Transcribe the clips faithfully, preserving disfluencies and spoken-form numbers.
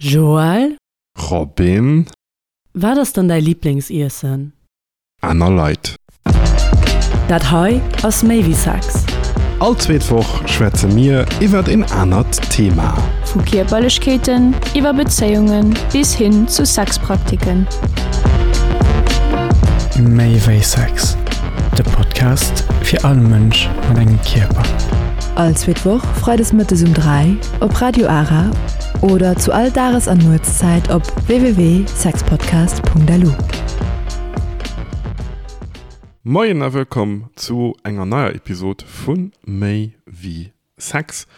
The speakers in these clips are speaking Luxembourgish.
Joël? Robin? Wat ass dann däi Liblingsiessen? Aner Leit. Dat hei ass méi wéi Sex. All zweet Woch schwätze mir iwwert een anert Thema. Vu Kierperlechkeeten iwwer Bezéiunge bis hin zu Sexpraktiken. Méi wéi Sex, de Podcast fir all Mënsch mat engem Kierper. All zweet Woch freides mëttes um dräi op Radio Ara oder zu all Dages an Nuetszäit op www.sexpodcast.lu. Moien a wëllkomm zu enger neier Episod vu Méi wéi Sex.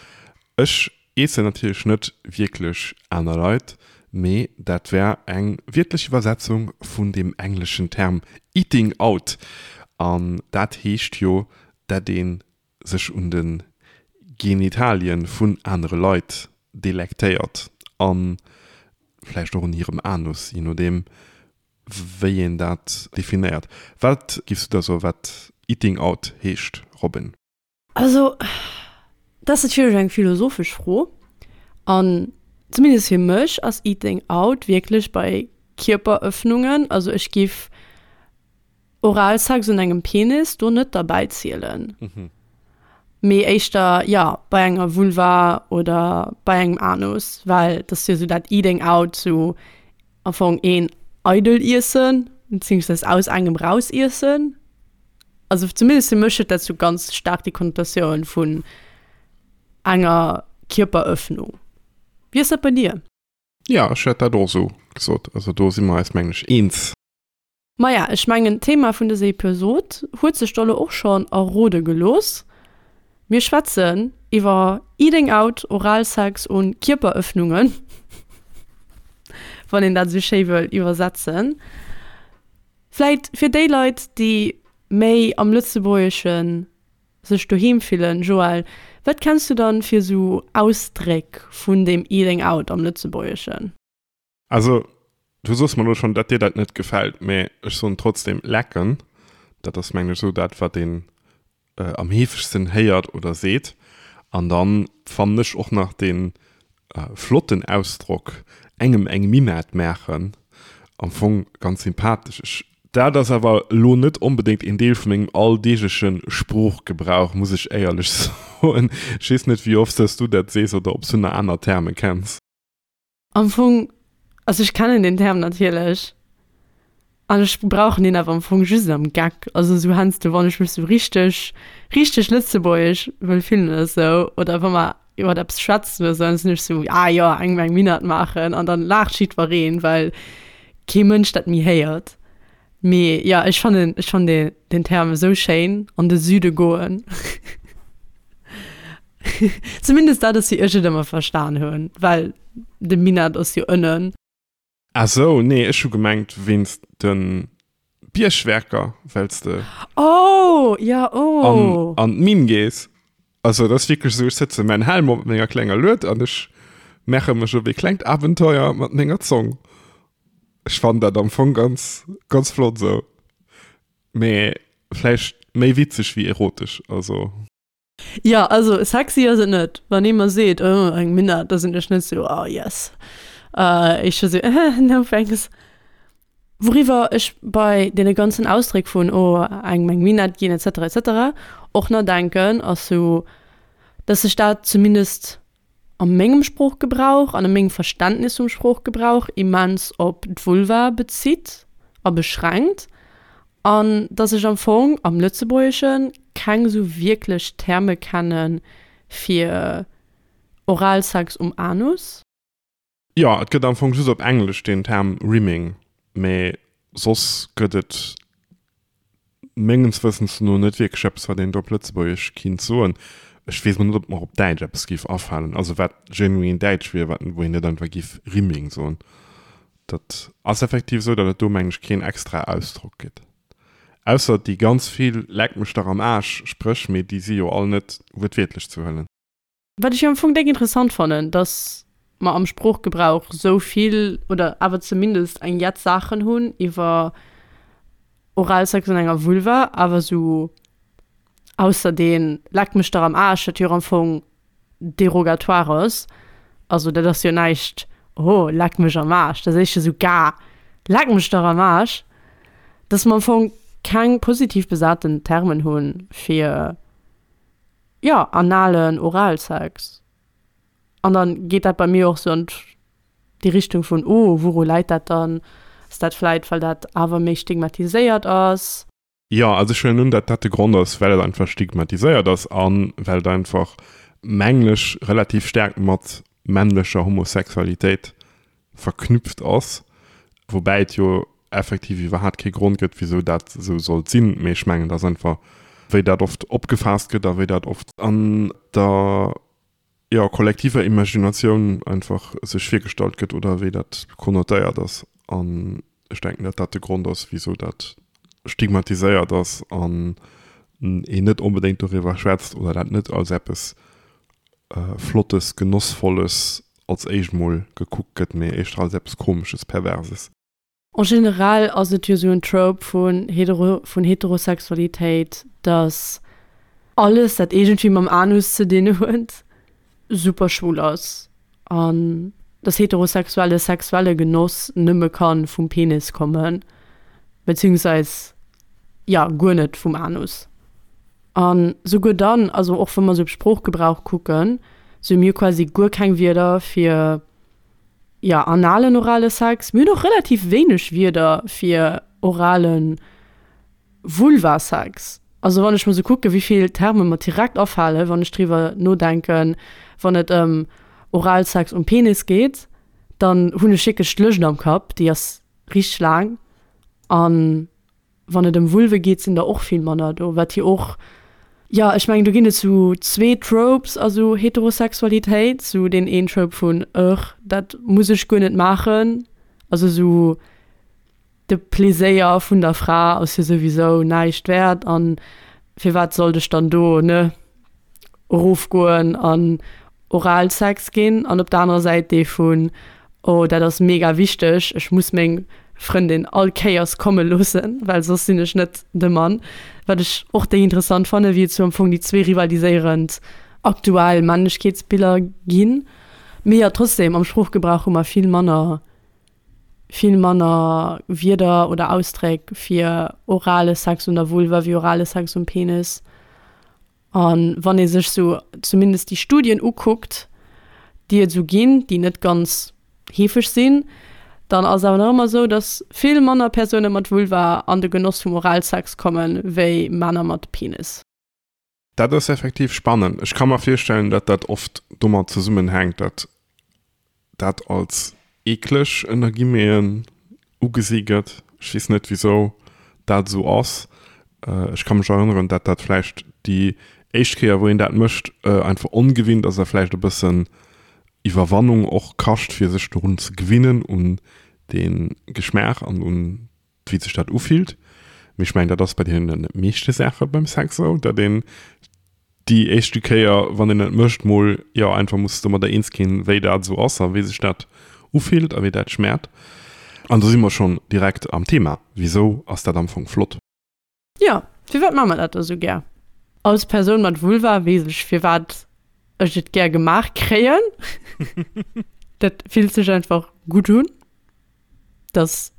Ech iessen natierlech net wierklech aner Leit, mee dat wär eng wiertlech Iwwersetzung vun deem engleschen Term eating out. An dat heescht jo, dat ee sech un de Genitalien vun anere Leit delektéiert a vläicht och un hirem Anus, je nodeem wéi een dat definéiert. Wat giffs du da soen, wat eating out heescht, Robin? Also, dat ass natierlech eng philosophesch Fro. An zumindest fir mech ass eating out wierklech bei Kierperëffnungen. Also ech giff Oralsex un engem Penis do net derbäi zielen. Mee éischter, jo, bei enger Vulva oder bei engem Anus, well dat ass jo sou dat eating out, sou am Fong een eidel iessen, beziehungsweise aus engem raus iessen. Also zumindest fir mech huet dat sou ganz staark déi Konnotatioun vun enger Kierperëffnung. Wéi ass dat bei dir? Jo, ech hätt dat och esou gesot. Also do si mer eis mengen ech eens. Maja, ech mengen d'Thema vun dëser Episod huet sech do lo och schonn errode gelooss. Mir schwätzen iwwer Eating Out, Oralsex und Kierperëffnungen, wann een dat esou schéi wëll iwwersetzen. Vläit fir déi Leit, déi méi am Lëtzebuergesche sech doheem fillen, Joël, wat kenns du dann fir esou Ausdréck vun deem Eating Out am Lëtzebuergeschen? Also, du soos mer elo schonn, datt dir dat net gefält, mä ech soen trotzdem lecken. Dat ass, mengen ech, esou dat, wat een am heefegsten héiert oder seet. An dann fannen ech och nach dee flotten Ausdrock engem eng Minett maachen am Fong ganz sympathesch. Ech, dat ass awer elo net onbedéngt een Deel vu mengem alldeegleche Sproochgebrauch, muss ech éierlech soen. Ech weess net, wéi oft s du dat sees oder ob s du nach aner Terme kenns. Am Fong, also ech kennen den Term natierlech an ech brauchen deen awer am Fong just am Geck. Also esou heiansdo, wann ech mech esou richteg, richteg lëtzebuergesch wëll fillen oder esou oder wa mer iwwer eppes schwätzen oder esou, dann sinn ech esou, ah jo, engem eng Minett maachen an dann laacht jiddwereen, well kee Mënsch dat méi héiert. Mee jo, ech fannen, ech fannen dee, den Term esou schéin, an de Süde goen. Zumindest dat ass wéi ech et ëmmer verstan hunn, well de Minett ass jo ënnen. Ah sou, nee, ech hu gemengt wéinst de Biergwerker, well s de Oh, ja, oh. an d'Minn gees. Also et ass wierklech esou, ech sëtze mäin Helm op mat menger klenger Lued an ech maache mech op ee klengt Abenteuer mat menger Zong. Ech fannen dat am Fong ganz, ganz flott esou, mee vläicht méi witzeg wéi erotesch, also. Jo, also sexy ass et net. Wann ee mer seet, oh, eng Minett, da sinn ech net sou, oh yes. Ech sou, no thanks. Wouriwwer ech bei deene ganzen Ausdréck vun, oh, engem eng Minett ginn et cetera et cetera och nodenken, ass sou, dass sech dat zumindest a mengem Sproochgebrauch an a mengem Verständnis vum Sproochgebrauch immens op d'Vulva bezitt a beschränkt an dass ech am Fong am Lëtzebuergesche keng esou wierklech Terme kenne fir Oralsex um Anus. Jo, et gëtt am Fong just op Englesch deen Term Rimming, mee soss gëtt et mengens Wëssens no net wierklech eppes, wat een do op Lëtzebuergesch kinnt soen. Ech weess mol net, ob mer op Däitsch eppes géif afalen, also wat genuin Däitsch wier, wat, wou een net einfach géif Rimming soen. Dat ass effektiv esou, datt et do, mengen ech, keen extra Ausdrock gëtt. Ausser déi ganz vill Leck mech dach am Aarsch Spréch, mee déi si jo all net wuertwiertlech ze huelen. Wat ech jo am Fong déck interessant fannen, dass mer am Sproochgebrauch sou vill oder awer zumindest eng jett Saachen hunn iwwer Oralsex an enger Vulva, awer sou ausser dee Leck mech dach am Aarsch, dat jo am Fong derogatoire ass, also dat ass jo näischt, oh, leck mech am Aarsch, dat ass éischter sou, Gah, leck mech dach am Aarsch, dass mer am Fong keng positiv besaten Termen hunn fir, jo, analen Oralsex. An dann geet dat bei mir och sou an déi Richtung vun, oh, wouru läit dat dann? Ass dat vläit, well dat awer méi stigmatiséiert ass? Jo, also ech huelen un, datt dat de Grond ass, well et einfach stigmatiséiert ass a well et einfach, mengen ech, relativ staark mat männlecher Homosexualitéit verknüpft ass, woubäi et jo effektiv iwwerhaat kee Grond gëtt, wisou dat esou sollt sinn. Mee ech mengen, et ass einfach, wéi dat oft opgefaasst gëtt a wéi dat oft an der, jo, kollektiver Imaginatioun einfach sech virgestallt gëtt oder wéi dat konnotéiert ass. An ech denken, datt dat de Grond ass, wisou dat stigmatiséiert ass an een net onbedéngt doriwwer schwätzt oder dat net als eppes Flottes, Genossvolles als éischt mol gekuckt gëtt, mee éischter als eppes Komesches, Perverses. En generell ass et jo sou en Trope vun hetero vun Heterosexualitéit, dass alles dat iergendwéi mam Anus ze dinn huet, super schwul ass an dass heterosexuelle sexuelle Genoss nëmme ka vum Penis kommen, beziehungsweis jo guer net vum Anus. An souguer dann, also och wa mer sou op Sproochgebrauch kucken, sou hu mir quasi guer keng Wierder fir, jo, analen orale Sex. Mir hunn och relativ wéineg Wierder fir orale Vulvasex. Also wann ech mer sou kucken, wéi vill Terme mer direkt afalen, wann ech driwwer nodenken, wann et ëm Oralsex um Penis geet, dann hunn ech wierklech d'Lëscht am Kapp, déi ass richteg laang. An wann et ëm Vulve geet, sinn der och vill manner do, wat jo och, jo, ech mengen, do ginn et sou zwee Tropes a sou Heterosexualitéit, sou deen een Trope vun, Ugh, dat muss ech guer net maachen, also sou de Pleséier vun der Fra ass jo souwisou näischt wäert an firwat sollt ech dann do, ne, erofgoen an Oralsex ginn an op der anerer Säit dee vun, oh dat ass mega wichteg, ech muss meng Frëndin all Kéiers komme loossen, well soss sinn ech net de Mann. Wat ech och déi interessant fannen, wéi et sou am Fong déi zwee rivaliséierend aktuell Männlechkeetsbiller ginn. Mee jo, trotzdem, am Sproochgebrauch hu mer vill manner, vill manner Wierder oder Ausdréck fir orale Sex un der Vulva wéi orale Sex um Penis. A wann ee sech sou zumindest déi Studien ukuckt, déi et sou ginn, déi net ganz heefeg sinn, dann ass et awer nach ëmmer sou, datt vill manner Persoune mat Vulva an de Genoss vum Oralsex kommen, wéi Männer mat Penis. Dat ass effektiv spannend. Ech ka mer virstellen, datt dat oft domat zesummenhänkt, datt dat als eekleg ënner Guillemeten ugesi gëtt. Ech weess net, wisou dat esou ass. Ech ka mech erënneren, dat dat vläicht déi éischt Kéier, wou een dat mécht, einfach ongewinnt ass a vläicht e bëssen Iwwerwannung och kascht, fir sech dorun ze gewinnen, un dee Geschmaach an un wéi sech dat ufillt. Mee ech mengen, dat ass bei deene meeschte Saache beim Sex esou, datt een déi éischte Kéier, wann een et mécht, mol jo einfach muss domadder eens ginn, wéi dat esou ass a wéi sech dat ufillt a wéi dat schmäert. An do si mer schonn direkt am Thema, Wisou ass dat am Fong flott? Jo, firwat maache mer dat da sou gär? Als Persoun mat Vulva weess ech, firwat ech et gär gemaach kréien. Dat fillt sech einfach gutt un. Dat ass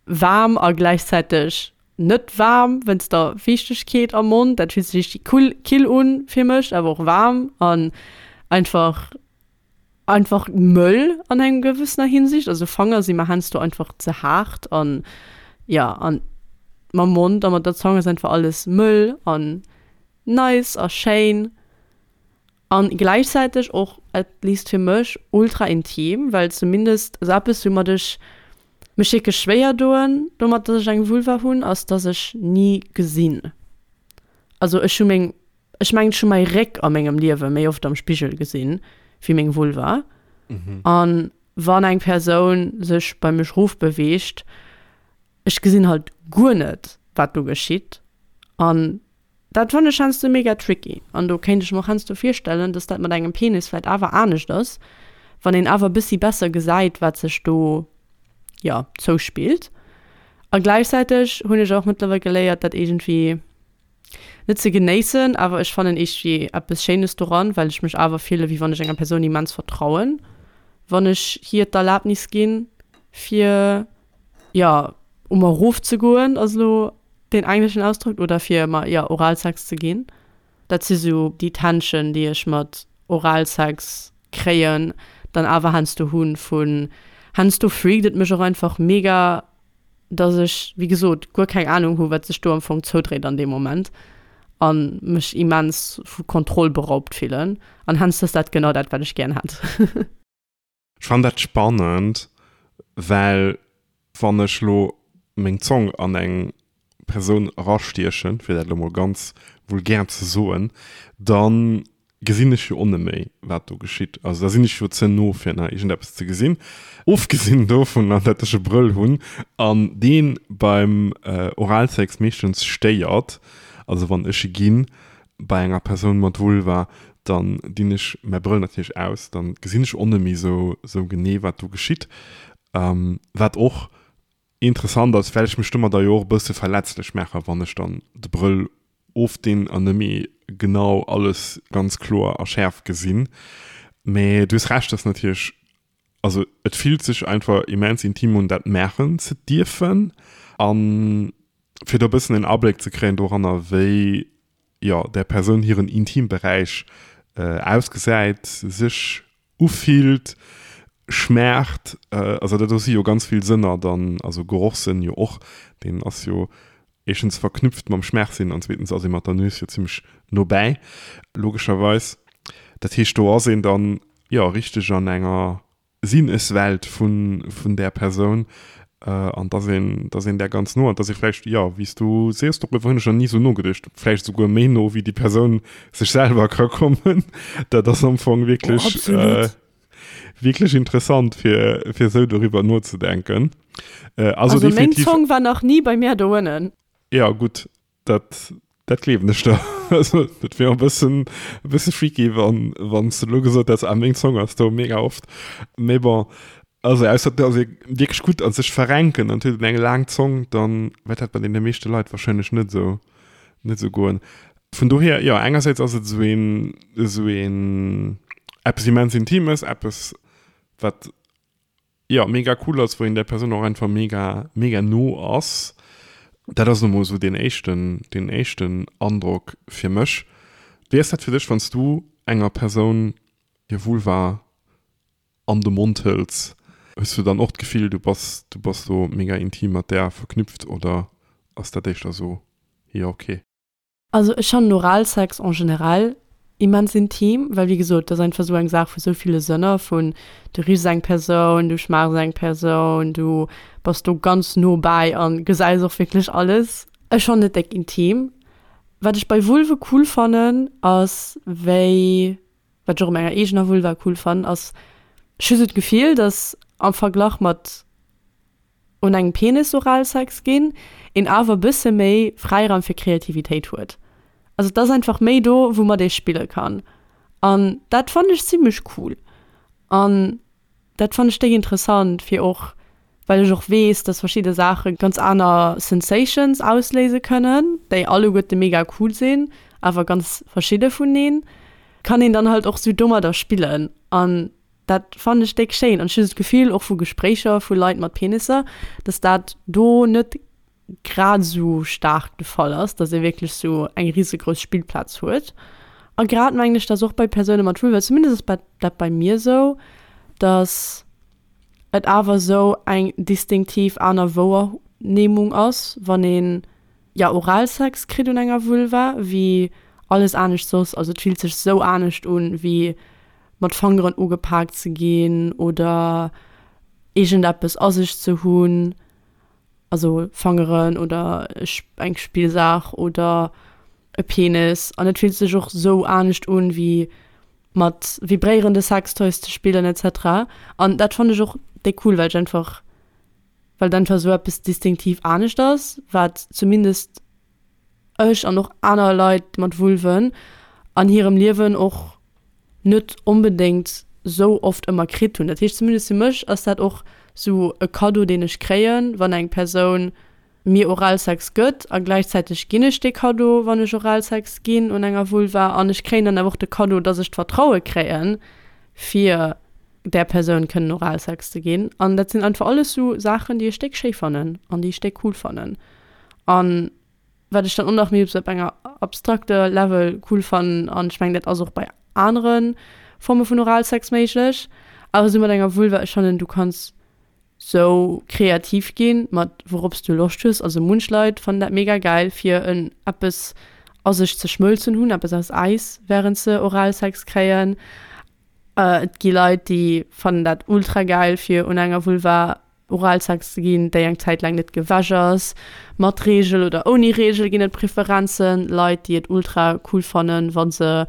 waarm a gläichzäiteg net waarm wéinst der Fiichtegkeet am Mond. Dat fillt sech richtig cool, kill un fir mech, awer och waarm an einfach einfach mëll an engem gewëssener Hinsicht. Also Fanger si mer heiansdo einfach ze haart an jo, an mam Mond a mat der Zong ass einfach alles mëll an nice a schéin an gläichzäiteg och, at least fir mech, ultra intim, well zumindest also eppes woumat ech mech wierklech schwéier doen domat, dass ech eng Vulva hunn, ass dass ech ni gesinn. Also ech hu meng, ech mengen ech hu mäi Réck a mengem Liewe méi oft am Spigel gesinn wéi meng Vulva. An wann eng Persoun sech bei mech rofbeweegt, ech gesinn halt guer net wat do geschitt an dat fannen ech heiansdo mega tricky an do kéint ech mer och heiansdo virstellen, dass dat mat engem Penis vläit awer anescht ass, wann een awer e bëssi besser gesäit wat sech do jo zouspillt. A gläichzäiteg hunn ech och mëttlerweil geléiert dat iergendwéi net ze genéissen, awer ech fannen iergendwéi eppes Schéines doran, well ech mech awer fille wéi wann ech enger Persoun immens vertrauen, wann ech hir d'Erlaabnis ginn, fir, jo, u mer erofzegoen, ass elo deen engleschen Ausdrock, oder fir mer, jo, Oralsex ze ginn. Dat si sou déi Tension, déi ech mat Oralsex kréien, dann awer heiansdo hunn vun, heiansdo freakt et mech och einfach mega, dass ech, wéi gesot, guer keng Ahnung hu wat sech do am Fong zoudréit an deem Moment a mech immens vu Kontroll beraubt fillen. An heiansdo ass dat genau dat, wat ech gären hätt. Ech fannen dat spannend, well wann ech lo meng Zong an eng Persoun erastiechen, fir dat elo mol ganz vulgär ze soen, da gesinn ech jo och net méi, wat do geschitt. Also da sinn ech jo ze no, fir nach iergendeppes ze gesinn. Ofgesinn dovunner, datt ech e Brëll hunn an dee beim Oralsex meeschtens stéiert. Also wann ech e ginn bei enger Persoun mat Vulva, dann dinn ech mäi Brëll natierlech aus, dann gesinn ech och net méi sou genee, wat do geschitt. Wat och interessant ass, well ech mech domadder jo och e bësse verletzlech maachen, wann ech dann de Brëll ofdinn an net méi genau alles ganz kloer a schäerf gesinn. Mä du hues Recht, dass natierlech, also et fillt sech einfach immens intim un, dat maachen ze dierfen a fir do e bëssen en Abléck ze kréien doranner, wéi, jo, där Persoun hiren Intimberäich ausgesäit, sech ufillt, schmaacht. Also dat do si jo ganz vill Sënner dann, also Gerochssënn jo och, deen ass jo éischtens verknüpft mam Schmaachsinn an zweetens ass ee mat der Nues jo zimmlech no bäi, logescherweis. Dat heescht, do ass een dann, jo, richteg an enger Sinneswelt vun, vun där Persoun an dass een, dass een där ganz no an dass ee vläicht, jo, wéi s du sees, doriwwer hunn ech nach ni esou nogeduecht, vläicht esouguer méi no wéi déi Persoun sech selwer ka kommen. Dat ass am Fong wierklech, oh, wierklech interessant, fir, fir esou doriwwer nozedenken. Äh, also, also definitiv, meng Zong war nach nie bei mir do ënnen. Ja, gutt, dat, dat gleewen ech der. Also, dat wier e bëssen, e bësse freaky, wann, wann s du elo gesot häss, ah, meng Zong ass do mega oft. Mee bon, also ausser et ass ee wierklech gutt a sech verrenken an huet eng laang Zong, dann wäert dat bei deene meeschte Leit warscheinlech net esou, net esou goen. Vun dohier, jo, engersäits ass et esou een, esou een eppes immens Intimes, eppes, wat, jo, mega cool ass, wou een där Persoun och einfach mega, mega no ass. Dat ass elo mol esou deen éischten, deen éischten Androck fir mech. Wéi ass dat fir dech, wann s du enger Persoun hir Vulva an de Mond hëls? Hues du dann och d'Gefill, du bass, du bass do mega intim mat där verknüpft oder ass dat éischter esou, jo, ok? Also ech fannen Oralsex en général immens intim, well wéi gesot, dat ass einfach esou eng Saach vu sou ville Sënner, vun du richs eng Persoun, du schmaachs eng Persoun, du bass do ganz no bäi a gesäis och wierklech alles. Ech fannen et déck intim. Wat ech bei Vulve cool fannen, ass wéi, wat ech och u menger eegener Vulva cool fannen, ass, ech hu sou d'Gefill, dass am Verglach mat un engem Penis Oralsex ginn, een awer e bësse méi Fräiraum fir Kreativitéit huet. Also et ass einfach méi do, woumat ee spille kann. An dat fannen ech zimmlech cool. An dat fannen ech déck interessant, fir och, well ech och weess, dass verschidde Saache ganz aner Sensations ausléise kënnen, déi alleguerte mega cool sinn, awer ganz verschidde vuneen, kann een dann halt och sou domadder spillen. An dat fannen ech déck schéin an ech hu sou d'Gefill, och vu Gespréicher vu Leit mat Penisser, dass dat do net grad esou staark de Fall ass, dass ee wierklech sou eng risegrouss Spillplaz huet. A grad mengen ech, dass och bei Persoune mat Vulva, zumindest ass dat bei mir sou, dass et awer sou eng distinktiv aner Wouernehmung ass, wann een, jo, Oralsex kritt un enger Vulva, wéi alles anescht soss. Also et fillt sech sou anescht un, wéi mat Fangeren ugepaakt ze ginn oder iergendeppes a sech ze hunn, also Fangeren oder eng Spillsaach oder e Penis. An et fillt sech och sou anescht un, wéi mat vibréierende Sextoys ze spillen et cetera. An dat fannen ech och déck cool, well ech einfach, well et einfach sou eppes distinktiv anescht ass, wat zumindest ech an och aner Leit mat Vulven an hirem Liewen och net onbedéngt sou oft ëmmer kritt hunn. Dat heescht, zumindest fir mech ass dat och sou e Kaddo, deen ech kréien, wann eng Persoun mir Oralsex gëtt a gläichzäiteg ginn ech dee Kaddo, wann ech Oralsex ginn un enger Vulva an ech kréien dann awer och de Kaddo, dass ech d'Vertraue kréien, fir där Persoun kënnen Oralsex ze ginn. An dat sinn einfach alles sou Saachen, déi ech déck schéi fannen an déi ech déck cool fannen. An wat ech dann och nach méi op sou op enger abstrakter Level cool fannen, an ech mengen dat ass och bei anere Forme vun Oralsex méiglech, awer sou mat enger Vulva, ech fannen du kanns sou kreativ ginn mat wourops du Loscht hues. Also munch Leit fannen dat mega gäil fir en eppes a sech ze schmëlzen hunn, eppes aus Äis wärend se Oralsex kréien. Et gi Leit déi fannen dat ultra gäil fir un enger Vulva Oralsex ze ginn, déi eng Zäit laang net gewäsch ass. Mat Reegel oder ouni Reegel ginn et Preferenzen. Leit, déi et ultra cool fannen, wa se,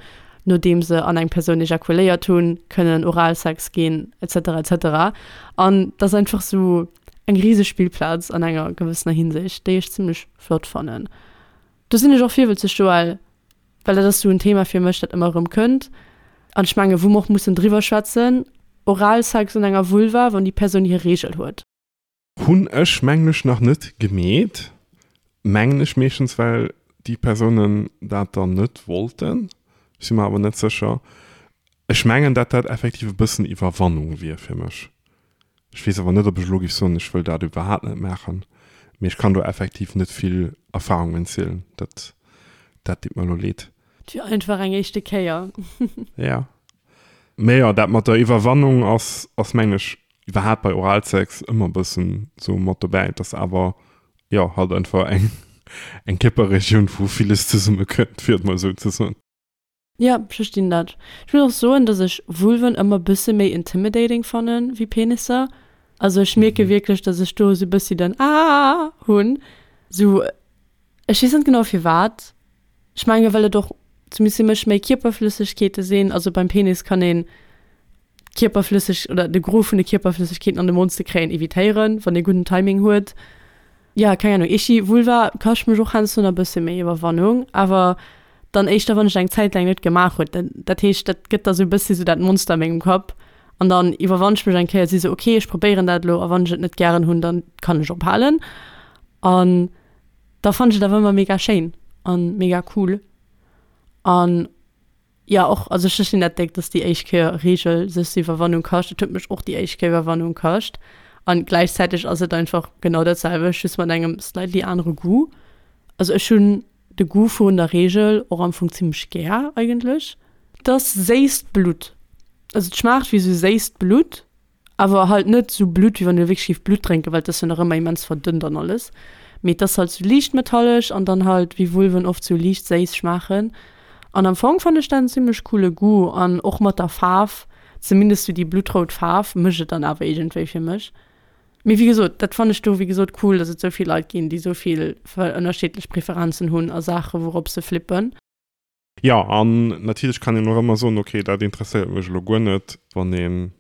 nodeem se an eng Persoun ejakuléiert hunn, kënnen Oralsex ginn, et cetera, et cetera. An dat ass einfach sou eng riseg Spillplaz an enger gewëssener Hinsicht, déi ech zimmlech flott fannen. Do sinn ech och virwëtzeg, Joël, well dat ass sou en Thema fir mech, dat ëmmer erëm kënnt. An ech mengen, wou mer och mussen driwwer schwätzen, Oralsex un enger Vulva, wann déi Persoun hir Reegel huet. Hunn ech mengen ech nach net gemeet. Mengen ech meeschtens well déi Persounen dat dann net wollten. Ech si mer awer net sécher. Ech mengen dat dat effektiv e bëssen Iwwerwannung wier fir mech. Ech weess awer net ob ech elo géif soen ech wëll dat iwwerhaapt net maachen. Mee ech kann do effektiv net vill Erfahrungen zielen. Dat dat deet mer elo leed. Et wier einfach eng éischte Kéier. Ja. Mee jo, dat mat der Iwwerwannung ass, ass mengen ech iwwerhaapt bei Oralsex ëmmer e bëssen sou mat dobäi. Et ass awer, jo, halt einfach eng, eng Kierperregioun, wou villes zesumme kënnt, fir et mol esou ze soen. Jo, ech verstinn dat. Ech muss och soen, dass ech Vulven ëmmer bësse méi intimidating fannen wéi Penisser. Also ech mierke wierklech, dass ech do esou e bëssi den Aah hunn. Sou, ech weess net genau firwat. Ech menge well et och zumindest fir mech méi Kierperflëssegkeete sinn. Also beim Penis kann een d'Kierperflësseg oder de Gros vun de Kierperflëssegkeeten an de Mond ze kréien evitéieren, wann ee gudden Timing huet. Jo, keng Ahnung, Ichi, Vulva kascht mech och heiansdo nach e bësse méi Iwwerwannung, awer dann éischter wann ech eng Zäit laang net gemaach huet. Dat heescht, dat gëtt da sou e bëssi sou dat Monster a mengem Kapp an dann iwwerwann ech mech eng Kéier, si sou, okay, ech probéieren dat elo a wann ech et net gären hunn, dann kann ech ophalen. An da fannen ech et awer ëmmer mega schéin an mega cool. An jo och, also ech verstinn dat déck, dass déi éischt Kéier Reegel sech sou Iwwerwannung kascht. Et huet mech och déi éischt Kéier Iwwerwannung kascht. An gläichzäiteg ass et einfach genau dat selwecht, just mat engem slightly anere Goût. Also ech hunn de Goût vun der Reegel och am Fong zimmlech gär eigentlech. Et ass séisst Blutt. Also et schmaacht wéi sou séisst Blutt, awer halt net sou Blutt, wéi wann ee wierklech géif Blutt drénken, well et ass jo nach ëmmer immens verdënnt an alles. Mee et ass halt sou liicht metallesch an dann halt wéi Vulven oft sou liicht séiss schmaachen. An am Fong fannen ech dat en zimmlech coole Goût an och mat der Faarf, zumindest sou déi bluttrout Faarf mécht et dann awer iergendwéi fir mech. Mee wéi gesot, dat fannen ech do wéi gesot cool, dass et sou vill Leit ginn, déi sou vill ënnerschiddlech Preferenzen hunn a Saache wourop se flippen. Jo, an natierlech kann een och ëmmer soen, ok, dat interesséiert mech elo guer net, wann een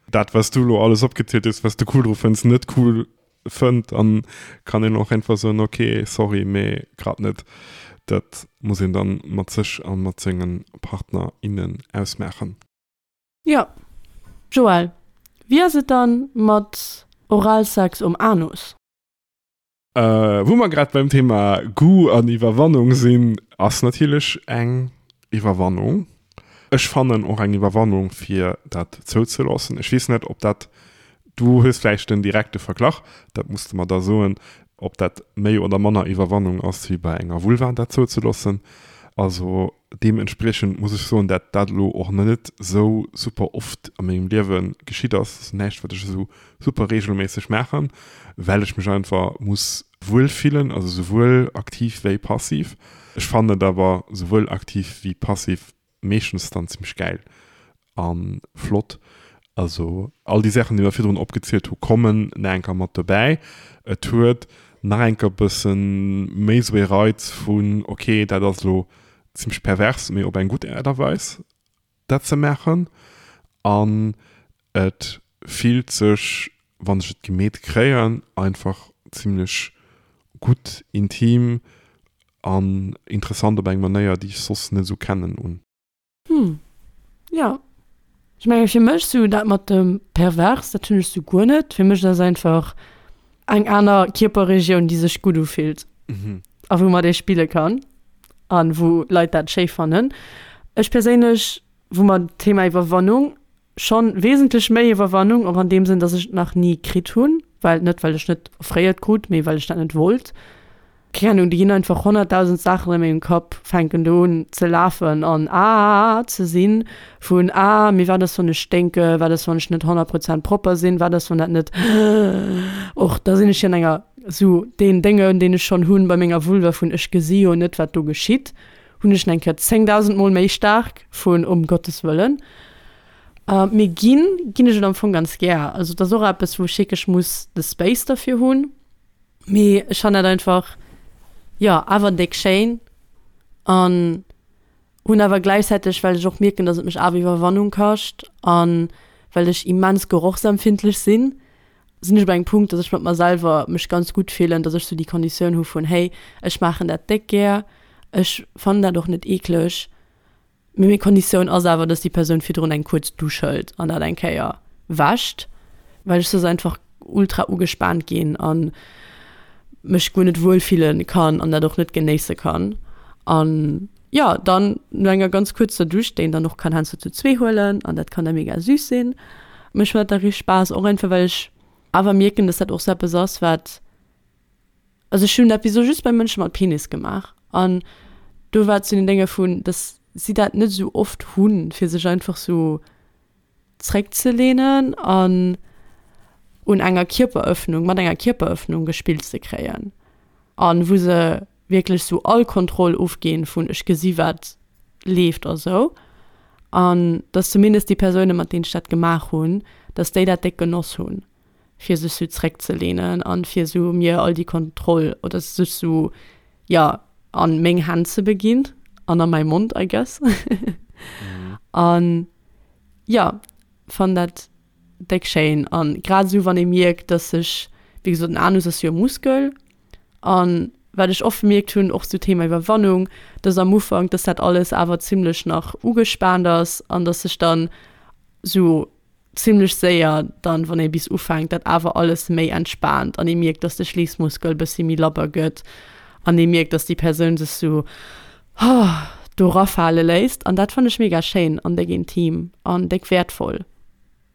dat, wat s du elo alles opgezielt hues, wat s de cool dru fënns, net cool fënnt, dann kann een och einfach soen, ok, sorry, mee grad net. Dat muss een dann mat sech a mat senge Partner, innen ausmaachen. Jo. Joël, wéi ass et dann mat Oralsex um Anus? Wou mer grad beim Thema Goût an Iwwerwannung sinn, ass natierlech eng Iwwerwannung. Ech fannen och eng Iwwerwannung fir dat zouzeloossen. Ech weess net, ob dat, du hues vläicht den direkte Verglach, dat muss de mer da soen, ob dat méi oder manner Iwwerwannung ass wéi bei enger Vulva dat zouzeloossen. Also deementspriechend muss ech soen, dat dat elo och net esou super oft a mengem Liewe geschitt ass. Dat ass näischt, wat ech esou super reegelméisseg maachen, well ech mech einfach muss wuel fillen, also souwuel aktiv wéi passiv. Ech fannen et awer souwuel aktiv wéi passiv meeschtens dann zimmlech gäil a flott. Also all déi Saachen, déi mer virdrun opgezielt hu kommen nach eng Kéier mat dobäi. Et huet nach eng Kéier e bësse méi esou ee Reiz vun, ok, dat ass elo zimmlech pervers, mee op eng gutt Aart a Weis dat ze maachen. An et fillt sech, wann ech et gemeet kréien, einfach zimmlech gutt, intim an interessant op eng Manéier, déi ech soss net esou kennen, un. Hm, jo. Ech menge fir mech sou dat mat dem pervers, dat hunn ech sou guer net. Fir mech ass einfach eng aner Kierperregioun, déi sech gutt ufillt a wou mat ee spille kann an wou Leit dat schéi fannen. Ech perséinlech, wou mer d'Thema Iwwerwannung, schonn wesentlech méi Iwwerwannung, och an deem Sënn, dass ech et nach ni kritt hunn, well, net well ech net offréiert krut, mee well ech dat net wollt. Keng Ahnung, do ginn einfach honnertdausend Saachen a mengem Kapp, fänken do un ze lafen an ah ze sinn, vun ah, mee wat ass wann ech sténke, wat ass wann ech net honnert Prozent propper sinn, wat ass wann dat net och da sinn ech jo an enger sou deen Dénge deen ech schonn hunn bei menger Vulva vun ech gesi jo net wat do geschitt, hunn ech nach eng Kéier zéngdausend mol méi staark vun um Gottes Wëllen. Mee ginn, ginn ech et am Fong ganz gär. Also et ass och eppes wou ech wierklech muss de Space derfir hunn. Mee ech fannen dat einfach, jo, awer déck schéin an hunn awer gläichzäiteg, well ech och mierken, dass et mech awer Iwwerwannung kascht an well ech immens gerochsempfindlech sinn, sinn ech op engem Punkt, dass ech mat mer selwer mech ganz gutt fillen, dass ech sou déi Konditioun hu vun, hey, ech maachen dat déck gär, ech fannen dat och net eekleg. Mee meng Konditioun ass awer, dass déi Persoun virdrun eng kuerz Dusch hëlt an dat eng Kéier wäscht, well ech soss einfach ultra ugespaant ginn a mech guer net wuel fille kann an dat och net genéisse kann. An jo, dann no enger ganz kuerzer Dusch, déi een dann och kann heiansdo zu zwee huelen an dat kann da mega süß sinn, mécht mer dat da richteg Spaass, och einfach well ech awer mierken, dass dat och sou eppes ass, wat Also ech hunn dat bis elo just bei Mënsche mat Penis gemaach an do war et zu den Dénge vun, dass si dat net esou oft hunn, fir sech einfach sou zréckzelehnen an un enger Kierperëffnung, mat enger Kierperëffnung gespillt ze kréien an wou se wierklech sou all Kontroll ofginn vun ech gesi wat leeft a sou an dass zumindest déi Persounen, mat deenen ech dat gemaach hunn, dass déi dat déck genoss hunn. fir sech sou zréckzelehnen an fir sou mir all déi Kontroll oder sech sou ja an meng Hänn ze beginn an a mäi Mond I guess an ja fann dat déck schéin an grad sou wann ee mierkt dass sech wéi gesot den Anus ass jo e Muskel an wat ech oft gemierkt hunn och sou Thema Iwwerwannung dass am Ufank dass dat alles awer zimlech nach ugespaant ass an dass sech dann sou zimlech séier dann, wann ee bis ufänkt, dat awer alles méi entspaant an ee mierkt, dass de Schliissmuskel e bëssi méi labber gëtt an ee mierkt, dass déi Persoun sech sou do rafale léisst. An dat fannen ech mega schéin an déck intim an déck wäertvoll.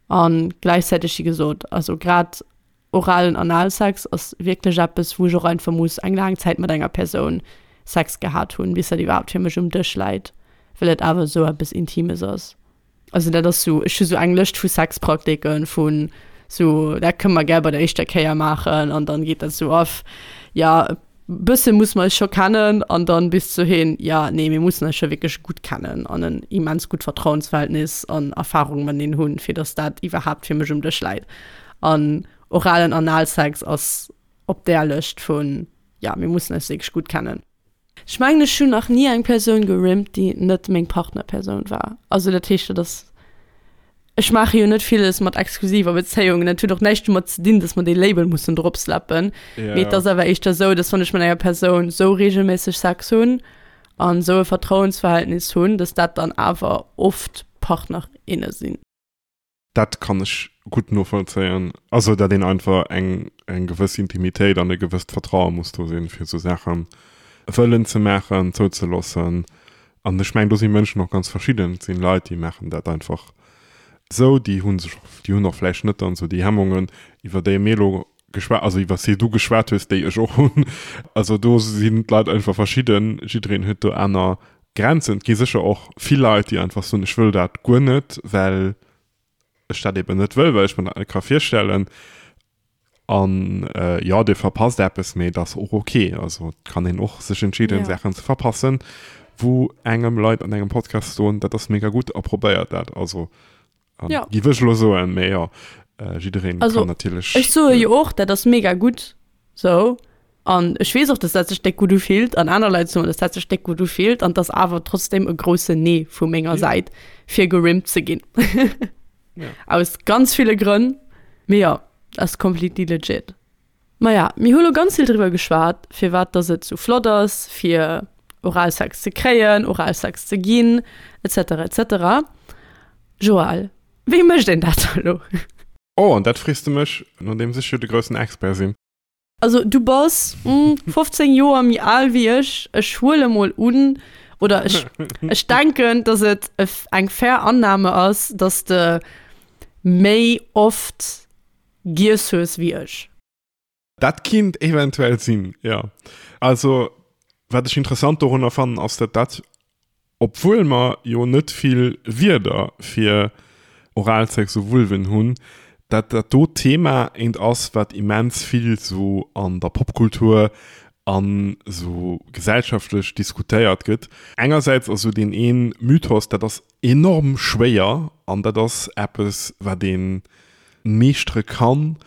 A gläichzäiteg, wéi gesot, also grad oralen Analsex ass wierklech eppes, wou ech och einfach muss eng laang Zäit mat enger Persoun Sex gehat hunn, bis dat iwwerhaapt fir mech um Dësch läit, well et awer esou eppes Intimes ass. Also dat ass sou, ech hu sou eng Lëscht vu Sexpraktiken, vun sou, dat kënne mer gär bei der éischter Kéier maachen an dann geet dat sou off, jo e bësse musse mer eis scho kennen an dann bis zu hin, jo nee mir mussen eis scho wierklech gutt kennen an en immens gutt Vertrauensverhältnis an Erfarung mateneen hunn, fir datt dat iwwerhaapt fir mech um Dësch läit. An oralen Analsex ass op där Lëscht vun, jo mir mussen eis wierklech gutt kennen. Ech mengen ech hunn nach ni eng Persoun gerimmt déi net meng Partnerpersoun war. Also dat heescht dat ass, ech maache jo net villes mat exklusiver Bezéiungen, dat huet och näischt domat ze dinn, datt mer dee Label mussen dropslappen, mee et ass awer éischter esou, datt wann ech mat enger Persoun esou reegelméisseg Sex hunn an esou e Vertrauensverhältnis hunn, datt dat dann awer oft Partner, inne sinn. Dat kann ech gutt novollzéien. Also dat een einfach eng eng gewëss Intimitéit an e gewësst Vertraue muss do sinn, fir esou Saache wëllen ze maachen, zouzeloossen. An ech mengen, do si Mënschen och ganz verschidden. Et sinn Leit, déi maachen dat einfach esou, déi hu sech, déi hunn och vläicht net dann esou déi Hemmungen, iwwer déi mir elo geschwat, also iwwer déi du geschwat hues, déi ech och hunn. Also do sinn d'Leit einfach verschidden, jiddereen huet do aner Grenzen. Et gi sécher och vill Leit, déi einfach soen, ech wëll dat guer net, well ech dat eben net wëll, well ech mir dat net ka virstellen. An äh, jo, dir verpasst eppes, mee dat ass och ok. Also et kann een och sech entscheeden, ja. Saachen ze verpassen, wou engem Leit an engem Podcast soen, dat ass mega gutt a probéiert dat. Also ähm, ja. giff ech elo soen, mee jo, äh, jiddereen also, kann natierlech. Ech soe jo och, dat ass mega gutt sou. An ech weess och, dass dat sech déck gutt ufillt an aner Leit soen, dass dat sech déck gutt ufillt an 't ass awer trotzdem e groussen Nee vu menger Säit, fir gerimmt ze ginn. Aus ganz ville Grënn. Mee jo, ass completely legit. Maja, mir hu lo ganz vill driwwer geschwat, firwat dass et sou flott ass, fir Oralsex ze kréien, Oralsex ze ginn, et cetera, et cetera. Joël, wéi mécht een dat da lo? Oh, an dat frees de mech, nodeems ech jo de groussen Expert sinn. Also du bass fofzéng Joer méi al wéi ech. Ech huele mol un, oder ech, ech denken, dass et eng fair Annahme ass, dass de méi oft giess hues wéi ech. Dat kinnt eventuell sinn, jo. Also, wat ech interessant dorunner fannen, ass, datt dat, obwuel mer jo net vill Wierder fir Oralsex u Vulven hunn, datt dat do Thema eent ass, wat immens vill sou an der Popkultur an sou gesellschaftlech diskutéiert gëtt. Engersäits ass sou deen ee Mythos, dat ass enorm schwéier an dat ass eppes, wat ee meeschtere kann,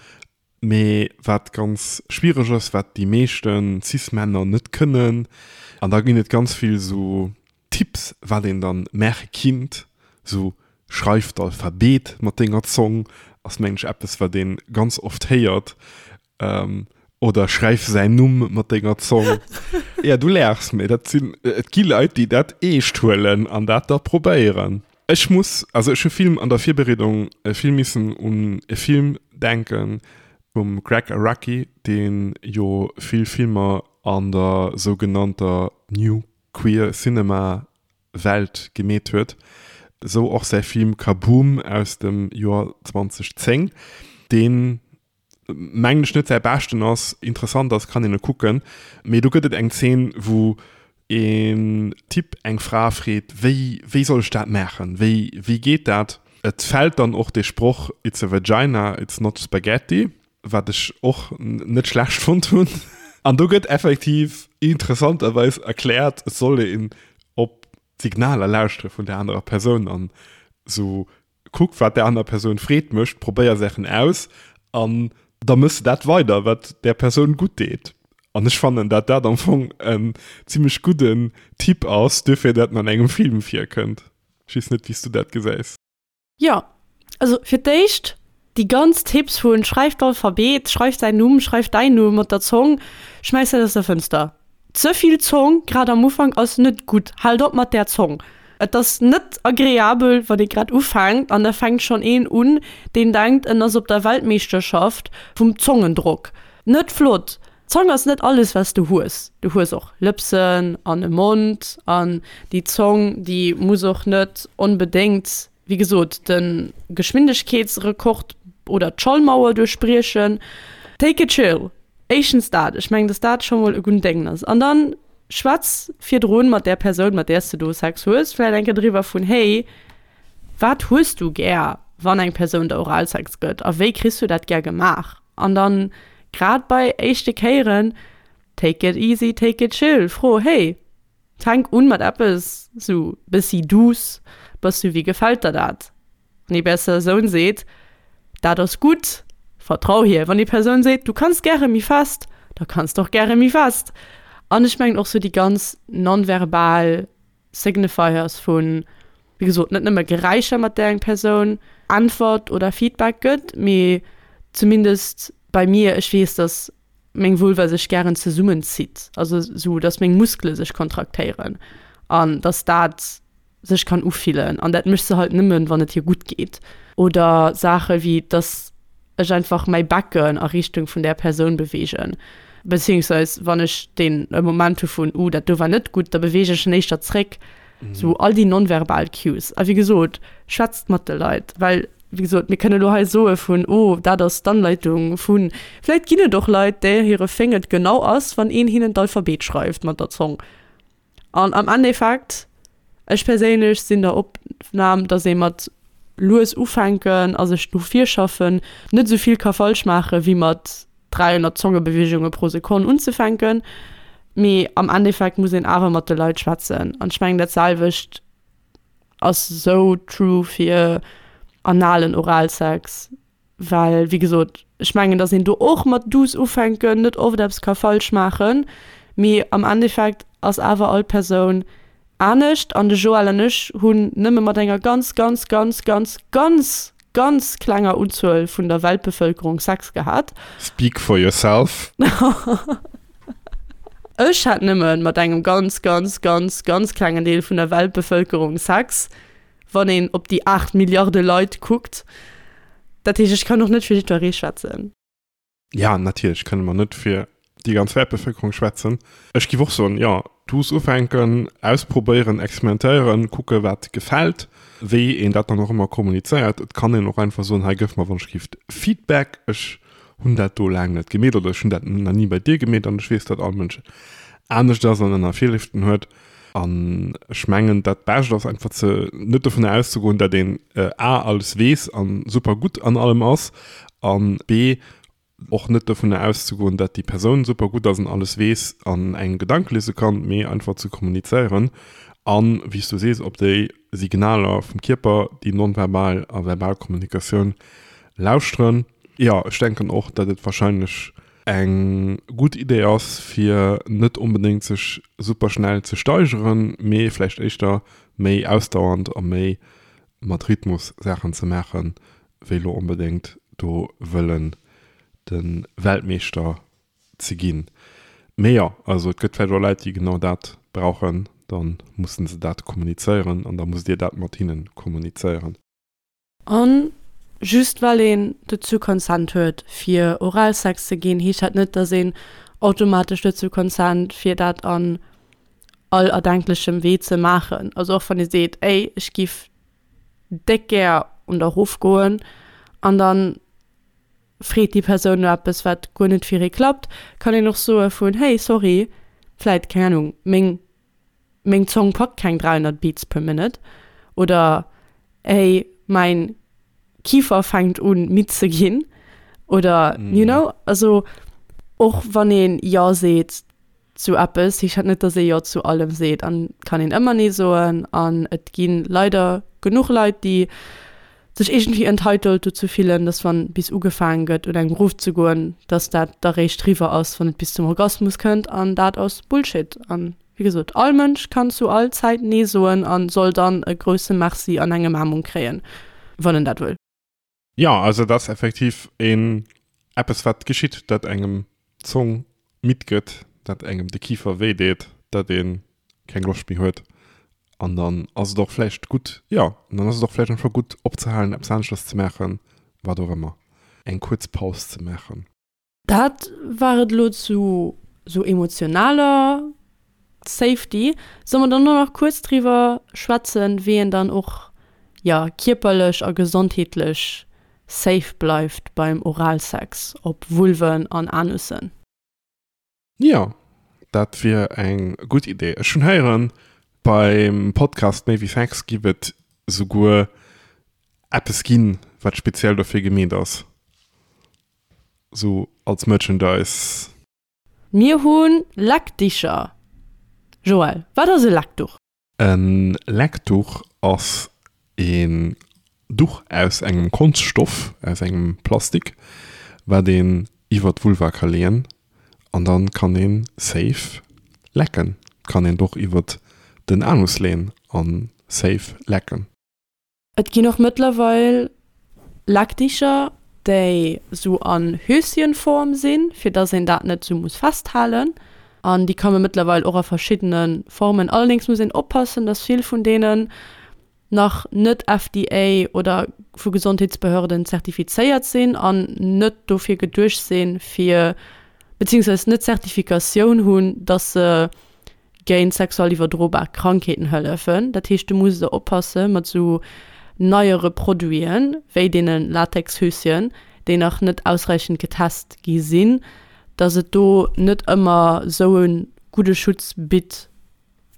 mee wat ganz schwiereg ass, wat déi meeschte Cis-Männer net kënnen. An da ginn et ganz vill sou Tipps, wat een dann maache kinnt, sou schreif d'Alphabet mat denger Zong, ass mengen ech eppes, wat ee ganz oft héiert. Oder schreif säin Numm mat denger Zong. Ja, du laachs, mee dat sinn, et gi Leit, déi dat eescht huelen an dat da probéieren. Ech muss, also ech hu vill an der Virbereedung vill missen un e Film denken vum Gregg Araki, dee jo vill Filmer an der sougenannter New Queer Cinema Welt gemeet huet. Esou och säi Film Kaboom aus dem Joer zwanzeg zéng, deen mengen ech net säi beschten ass, interessant ass, kann een e kucken, mee do gëtt et eng Zeen, wou een Typ eng Fra freet, wéi wéi soll ech dat maachen, wéi wéi geet dat? Et fält dann och dee Sproch It's a vagina, it's not spaghetti, wat ech och net schlecht fonnt hunn. An do gëtt effektiv interessanterweis erkläert, et soll een op d'Signaler lauschtere vun där anerer Persoun an esou Kuck wat där aner Persoun Freed mécht, probéier Saachen aus an da mëss de dat weider wat där Persoun gutt deet. An ech fannen dat dat am Fong en zimmlech gudden Tipp ass, duerfir dat en an engem Film virkënnt. Ech weess net wéi s du dat gesäis. Jo, also fir d'éischt déi ganz Tipps vun schreif d'Alphabet, schreif säin Numm, schreif däin Numm mat der Zong, schmäiss dat aus der Fënster. Ze vill Zong, grad am Ufank, ass net gutt. Haalt op mat där Zong. Et ass net agreabel, wann ee grad ufänkt an da fänkt schonn een un, deen denkt, en ass op der Weltmeeschterschaft vum Zongendrock. Net flott. D'Zong ass net alles, wat s du hues. Du hues och Lëpsen an e Mond an déi Zong, déi muss och net onbedéngt, wéi gesot, de Geschwindegkeetsrekord oder d'Schallmauer duerchbriechen. Take it chill. Éischtens dat, ech mengen, dass dat scho mol e gudden Déngen ass. An dann schwätz virdrun mat där Persoun, mat där s de do Sex hues, vläicht eng Kéier driwwer vun, hey, wat hues du gär, wann eng Persoun der Oralsex gëtt a wéi kriss du dat gär gemaach? An dann, grad bei éischte Kéieren, take it easy, take it chill, fro, hey, fänk un mat eppes sou bëssi douce, bass du, wéi gefält der dat? Wann déi Persoun seet, dat ass gutt, vertrau hir. Wann déi Persoun seet, du kanns gäre méi fest, da kanns de och gäre méi fest. An ech mengen och sou déi ganz nonverbal Signifiers vun, wéi gesot, net nëmme Geräischer, mat där eng Persoun Äntwert oder Feedback gëtt, mee zumindest bei mir, ech weess, dass meng Vulva sech gären zesummenzitt, also sou, dass meng Muskele sech kontraktéieren an dass dat sech kann ufillen an dat mécht se halt nëmmen, wann et hir gutt geet. Oder Saache wéi, dass ech einfach mäi Becken a Richtung vun där Persoun beweegen, beziehungsweise wann ech deen e Moment hu vun, uh, dat do war net gutt, da beweege ech en éischter zréck. Sou all déi nonverbal Cues. A wéi gesot, schwätzt mat de Leit, well wéi gesot, mir kënne lo hei soe vun, oh, dat ass d'Anleitung vun. Vläit ginn et och Leit, där hire Féng et genau ass, wann een hinnen d'Alphabet schreift mat der Zong. An am Endeffekt, ech perséinlech sinn der Opnam, dass ee mat lues ufänken a sech do virschaffen net esou vill ka falsch maache wéi mat dräihonnert Zongebeweegunge pro Sekonn unzefänken. Mee am Endeffekt muss een awer mat de Leit schwätzen. An ech mengen dat selwecht ass esou true fir analen Oralsex, well wéi gesot, ech mengen, datt een do och mat douce ufänken net oft eppes ka falsch maachen, mee am Endeffekt ass awer all Persoun anescht an de Joël an ech hunn nëmme mat enger ganz, ganz, ganz, ganz, ganz, ganz klenger Unzuel vun der Weltbevëlkerung Sex gehat. Speak for yourself. Ech hat nëmme mat engem ganz, ganz, ganz, ganz klengen Deel vun der Weltbevëlkerung Sex, wann een op déi aacht Milliarde Leit kuckt. Dat heescht, ech kann och net fir jiddweree schwätzen. Ja, natierlech kënne mer net fir déi ganz Weltbevëlkerung schwätzen. Ech giff och soen, jo, douce ufänken, ausprobéieren, experimentéieren, kucke wat gefält. Wéi een dat dann och ëmmer kommunizéiert. Et kann een och einfach soen, hei gëff mer wann ech gift Feedback, ech hunn dat do laang net gemeet oder ech hunn dat nach ni bei dir gemeet an ech weess, datt all Mënsch anescht ass an aner Virléiften huet. An ech mengen, dat Bescht ass einfach ze net dovunner auszegoen, datt een a alles weess an super gutt an allem ass an b och net dovunner auszegoen, datt déi Persoun super gutt ass an alles weess an engem Gedanke liese kann, mee einfach ze kommunizéieren an, wéi s du sees, op déi Signaler vum Kierper, déi nonverbal a verbal Kommunikatioun lauschteren. Jo, ech denken och, datt et warscheinlech eng gutt Idee ass, fir net onbedéngt sech super schnell ze steigeren, mee vläicht éischter méi ausdauernd a méi mat Rhythmus Saachen ze maachen, wéi lo onbedéngt do wëllen de Weltmeeschter ze ginn. Mee jo, also et gëtt vläicht och Leit, déi genau dat brauchen, da mussen se dat kommunizéieren an da musst Dir dat mat hinnen kommunizéieren. An just well een dozou consent huet fir Oralsex ze ginn, heescht dat net, dass een automatesch dozou consent fir dat an all erdenklechem Wee ze maachen. Also och wann ee seet, ey, ech giff déck gär un der erofgoen an dann freet déi Persoun no eppes wat guer net fir ee klappt, kann een och soe vun, hey, sorry, vläit, keng Ahnung, meng meng Zong packt keng dräihonnert Beats per Minute oder hey, mäin Kifer fänkt un midd ze ginn oder you know, also och wann een Jo seet zu eppes, heescht dat net, dass ee Jo zu allem seet an kann een ëmmer Nee soen an et gi leider genuch Leit, déi sech iergendwéi entitled dozou fillen, dass wann bis ugefaangen gëtt un engem erofzegoen, dass dat da réischt riwwer ass, wann et bis zum Orgasmus kënnt an dat ass Bullshit an wéi gesot, all Mënsch kann zu all Zäit Nee soen an soll dann e grousse Merci an eng Ëmaarmung kréien, wann en dat wëll. Jo, also et ass effektiv een eppes wat geschitt, dat engem d'Zong midd gëtt, dat engem de Kifer wéi deet, dat ee keng Loscht méi huet an dann ass et och vläicht gutt, jo, an dann ass et och vläicht einfach gutt opzehalen, eppes aneschters ze maachen, wat och ëmmer, eng kuerz Paus ze maachen. Dat war et elo zu sou emotionaler Safety. Solle mer dann elo nach kuerz driwwer schwätzen, wéi een dann och, jo, kierperlech a gesondheetlech safe bleift beim Oralsex op Vulven an Anussen? Jo, dat wier eng gutt Idee. Ech hunn héieren, beim Podcast Méi wéi Sex giff et souguer eppes ginn, wat speziell dofir gemeet ass, sou als Merchandise. Mir hu Leckdicher. Joël, wat ass e Leckduch? E Leckduch ass een Duch aus engem Konschtstoff, aus engem Plastik, wat een iwwer d'Vulva ka leeën an dann kann een safe lecken. Kann een och iwwer den Anus leeën an safe lecken. Et ginn och mëttlerweil Leckdicher, déi sou an Höschenform sinn, fir dass een dat net sou muss festhalen. An déi komme mëttlerweil och a verschiddene Formen. Allerdéngs muss een oppassen, dass vill vun deenen nach net F D A oder vu Gesondheetsbehörden zertifizéiert sinn an net dofir geduecht sinn, fir, beziehungsweise net Zertifikatioun hunn, dass se géint sexuell iwwerdrobar Krankheeten hëllefen. Dat heescht, du muss da oppasse mat sou neiere Produiten, wéi deene Latexhöschen, déi nach net ausreichend getest gi sinn, dass et do net ëmmer sou e gudde Schutz bitt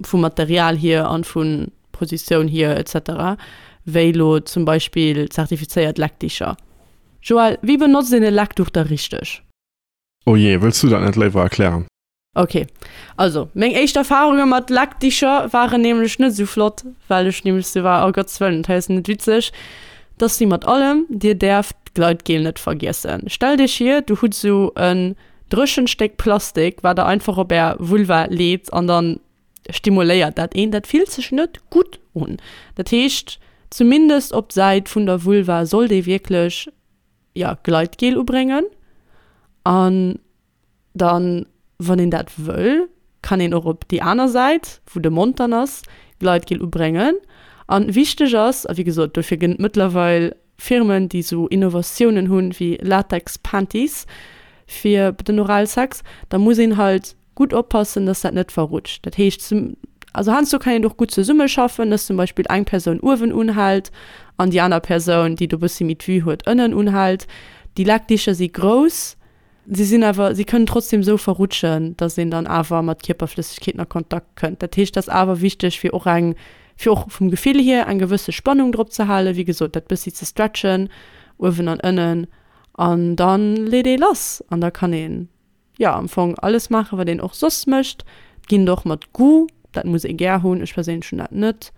vum Material hier an vun Positioun hier et cetera, wéi lo zum Beispill zertifizéiert Leckdicher. Joël, wéi benotzt een e Leckduch da richteg? Oh je, wëlls du dat net léiwer erklären? Ok, also meng éischt Erfarunge mat Leckdicher waren nämlech net esou flott, well ech nämlech sou war, oh Gottes Wëllen, dat hei ass net witzeg. Dat ass wéi mat allem, dir däerft d'Gleitgel net vergiessen. Stellt iech vir, du hutt sou en dréchent Stéck Plastik, wat der einfach op är Vulva leet an dann stimuléiert dat een. Dat fillt sech net gutt un. Dat heescht, zumindest op d'Säit vun der Vulva sollt ee wierklech, ja, Gleitgel ubréngen. An dann, wann een dat wëll, kann een och op déi aner Säit, wou de Mond dann ass, Gleitgel ubréngen. An wichteg ass, a wéi gesot, dofir gënn et mëttlerweil Firmen, déi sou Innovatiounen hunn, wéi Latex-Panties fir den Oralsex, da muss een halt gutt oppassen, dass dat net verrutscht. Dat heescht, zum, Also heiansdo kann een och gutt zesummeschaffen, dass zum Beispill eng Persoun uewen unhält an déi aner Persoun, déi do bëssi méi d'Vue huet, ënnen unhält. Déi Leckdicher si grouss, si sinn awer, si kënnen trotzdem esou verrutschen, dass een dann awer mat Kierperflëssegkeeten a Kontakt kënnt. Dat heescht, dat ass awer wichteg, fir och eng, fir och vum Gefill hier eng gewësse Spannung drop ze halen, wéi gesot, dat bëssi ze stretchen, uewen an ënnen, an dann leet ee lass an da kann een, jo, am Fong alles maachen, wat een och soss mécht. Et ginn der och mat Goût, dat muss ee gär hunn, ech perséinlech hunn dat net.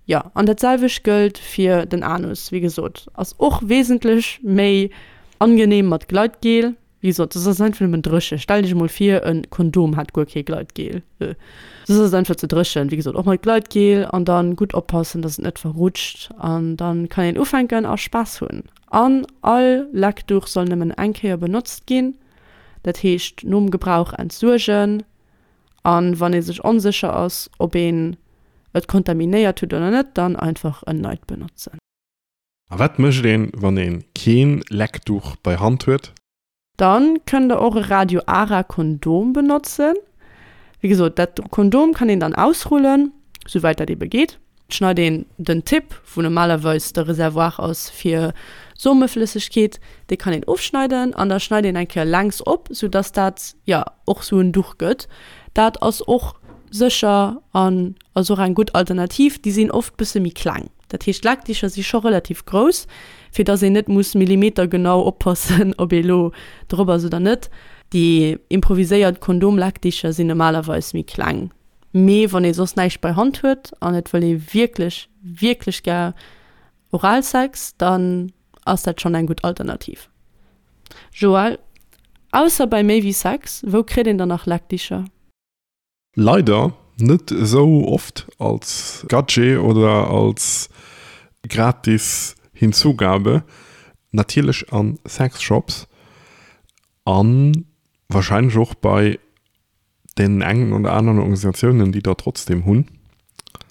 Jo, an dat selwecht gëllt fir den Anus, wéi gesot, ass och wesentlech méi angenehm mat Gleitgel. Wéi gesot, soss ass et einfach nëmmen dréchen. Stell dech emol vir, e Kondom hätt guer kee Gleitgel. Soss ass et einfach ze dréchen. Wéi gesot, och mat Gleitgel an dann gutt oppassen, dass et net verrutscht an dann kann een ufänken a Spaass hunn. An all Leckduch soll nëmmen eng Kéier benotzt ginn, dat heescht nom Gebrauch entsuergen. An wann ee sech onsécher ass, ob een et kontaminéiert huet oder net, dann einfach en neit benotzen. A wat mécht een, wann een keen Leckduch bei Hand huet? Dann kënnt der och e Radio Ara Kondom benotzen. Wéi gesot, dat Kondom kann een dann ausrullen, souwäit dat ebe geet. Et schneit een den Tipp, wou normalerweis de Reservoir ass fir Someflëssegkeet, dee kann een ofschneiden an da schneit een eng Kéier längs op, sou dass dat, jo, och sou en Duch gëtt. Dat ass och sécher an ass och eng gutt Alternativ. Déi sinn oft bësse méi kleng, dat heescht d'Leckdicher si scho relativ grouss, fir dass een net muss millimetergenau oppassen, ob ee lo drop ass oder net. Déi improviséiert Kondomleckdicher sinn normalerweis méi kleng. Mee wann ee soss näischt bei Hand huet an et wëll ee wierklech, wierklech gär Oralsex, dann ass dat schonn eng gutt Alternativ. Joël, ausser bei Méi wéi Sex, wou kritt een dann nach Leckdicher? Leider net esou oft als Gadget oder als gratis Hinzugabe. Natierlech an Sexshops an wahrscheinlech och bei deenen engen oder aneren Organisatiounen, déi der trotzdem hunn.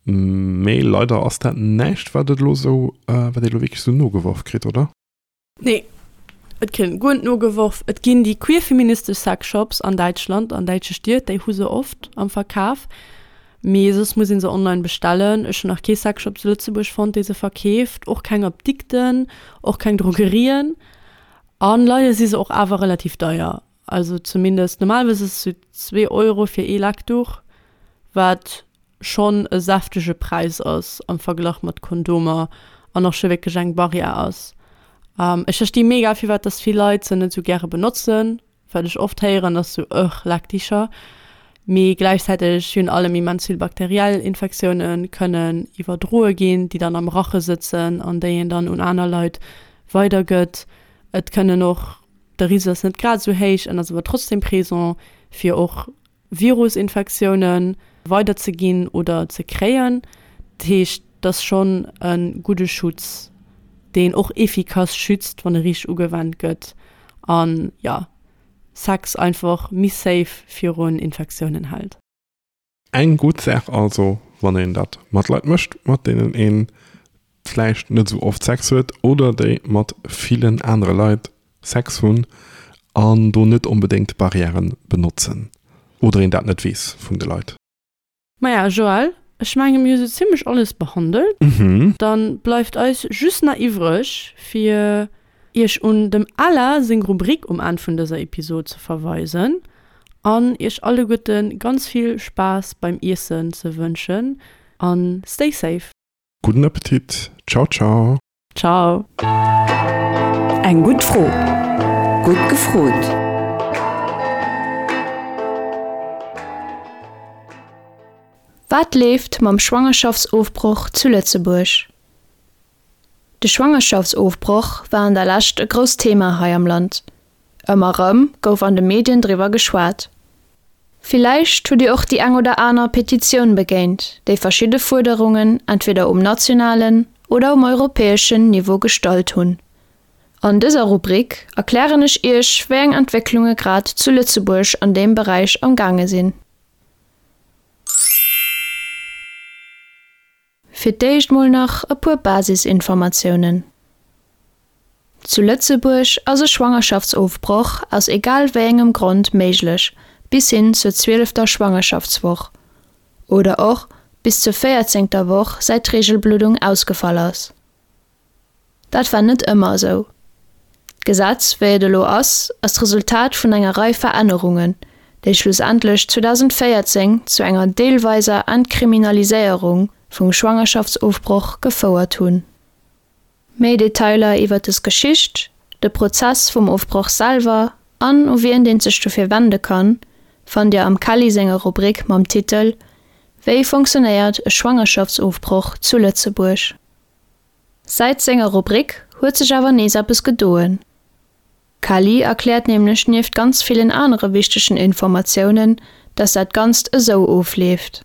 Mee leider ass dat näischt, wat et elo esou, wat ee elo wierklech esou nogeworf kritt, oder? Nee, et kritt een guer net nogeworf. Et ginn déi queer-feministesch Sexshops an Däitschland, an däitsche Stied, déi hu se oft am Verkaf. Mee soss muss ee se online bestellen. Ech hunn nach kee Sexshop zu Lëtzebuerg fonnt, dee se verkeeft. Och keng Apdikten, och keng Drogerien. A leider si se och awer relativ deier. Also zumindest, normalerweis ass et sou zwee Euro fir ee Leckduch, wat schonn e säftege Präis ass am Verglach mat Kondomer an och scho wierklech eng Barrière ass. Ech versti mega, firwat dass vill Leit se net sou gäre benotzen. Wat ech oft héieren ass sou, Ugh, Leckdicher. Mee gläichzäiteg virun allem immens vill bakteriell Infektioune kënnen iwwerdroe ginn, déi dann am Rache sëtzen an déi een dann un aner Leit weidergëtt. Et kënnen och, de Risiko ass net grad esou héich, en ass awer trotzdem présent, fir och Virusinfektioune weiderzeginn oder ze kréien. Dat heescht, et ass schonn e gudde Schutz, deen och efficace schützt, wann e richteg ugewennt gëtt an, jo, Sex einfach méi safe virun Infektiounen hält. Eng gutt Saach also, wann een dat mat Leit mécht, mat deenen ee vläicht net esou oft Sex huet oder déi mat villen anere Leit Sex hunn an do net onbedéngt Barrièren benotzen oder een dat net weess vun de Leit. Maja, Joël, ech menge mir hu sou zimlech alles behandelt. Dann bleift eis just nach iwwreg fir iech un dem Ella seng Rubrik um Enn vun dëser Episod ze verweisen an iech alleguerte ganz vill Spaass beim Iessen ze wënschen an stay safe. Gudden Appetit, ciao ciao. Ciao. Eng gutt Fro, gutt gefrot. Wat leeft mam Schwangerschaftsofbroch zu Lëtzebuerg? De Schwangerschaftsofbroch war an der Lescht e grousst Thema hei am Land. Ëmmer erëm gouf an de Medien driwwer geschwat. Villäicht hutt Dir och déi eng oder aner Petitioun begéint, déi verschidde Fuerderungen entweder um nationalen oder um europäeschen Niveau gestallt hunn. An dëser Rubrik erklären ech Iech, wéi eng Entwécklunge grad zu Lëtzebuerg an deem Beräich am gaange sinn. Fir d'éischt mol nach e puer Basisinformatiounen. Zu Lëtzebuerg ass e Schwangerschaftsofbroch aus egal wéi engem Grond méiglech, bis hin zur zwielefter Schwangerschaftswoch oder och bis zur véierzéngter Woch säit d'Reegelbluddung ausgefall ass. Dat war net ëmmer esou. D'Gesetz, wéi et elo ass, ass d'Resultat vun enger Rei Verännerungen, déi schlussendlech zweedausendvéierzéng zu enger deelweiser Entkriminaliséierung vum Schwangerschaftsofbroch gefouert hunn. Méi Detailer iwwer des Geschicht, de Prozess vum Ofbroch selwer an u wien een sech dofir wende kann, fannt Dir am Kelly senger Rubrik mam Titel Wéi funktionéiert e Schwangerschaftsofbroch zu Lëtzebuerg? Säit senger Rubrik huet sech awer nees eppes gedoen. D'Kelly erkläert nämlech nieft ganz villen anere wichtegen Informatiounen, dass dat Ganzt esou ofleeft.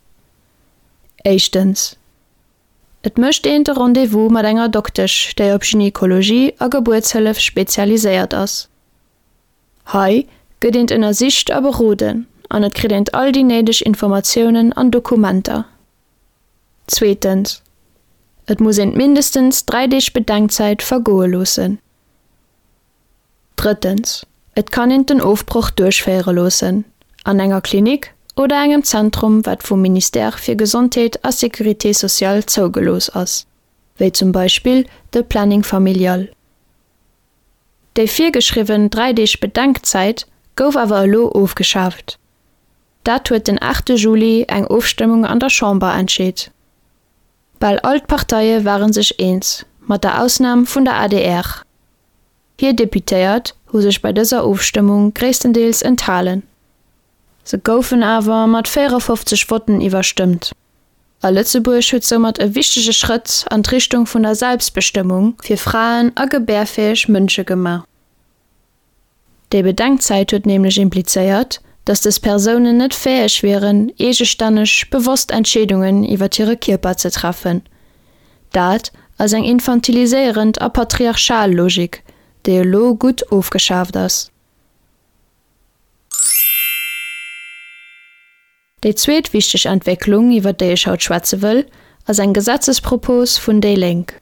Éischtens, Et mécht een de Rendez-vous mat enger Doktesch, déi op Gynekologie a Gebuertshëllef spezialiséiert ass. Hei gëtt eent ënnersicht a beroden an et kritt eent all déi néideg Informatiounen an Dokumenter. Zweetens, Et muss eent mindestens dräi Deeg Bedenkzäit vergoe loossen. Drëttens, Et kann eent den Ofbroch duerchféiere loossen, an enger Klinik oder engem Zentrum, wat vum Ministère fir Gesondheet a Sécurité sociale zougelooss ass, wéi zum Beispill de Planning familial. Déi virgeschriwwen dräi Deeg Bedenkzäit gouf awer elo ofgeschaaft. Dat huet den aachte Juli eng Ofstëmmung an der Chamber entscheet. Bal all d'Parteie ware sech eens, mat der Ausnam vun der adr. Hir Deputéiert hu sech bei dëser Ofstëmmung gréisstendeels enthalen. Se goufen awer mat véierafofzeg Votten iwwerstëmmt. A Lëtzebuerg huet soumat e wichtege Schrëtt an d'Richtung vun der Selbstbestëmmung fir Fraen a gebärfäeg Mënsche gemaach. Déi Bedenkzäit huet nämlech implizéiert, datt dës Persounen net fäeg wieren, eegestänneg, bewosst Entscheedungen iwwer hire Kierper ze treffen. Dat ass eng infantiliséierend a patriarchal Logik, déi elo gutt ofgeschaaft ass. Déi zweet wichteg Entwécklung, iwwer déi ech haut schwätze wëll, ass eng Gesetzespropos vun déi Lénk.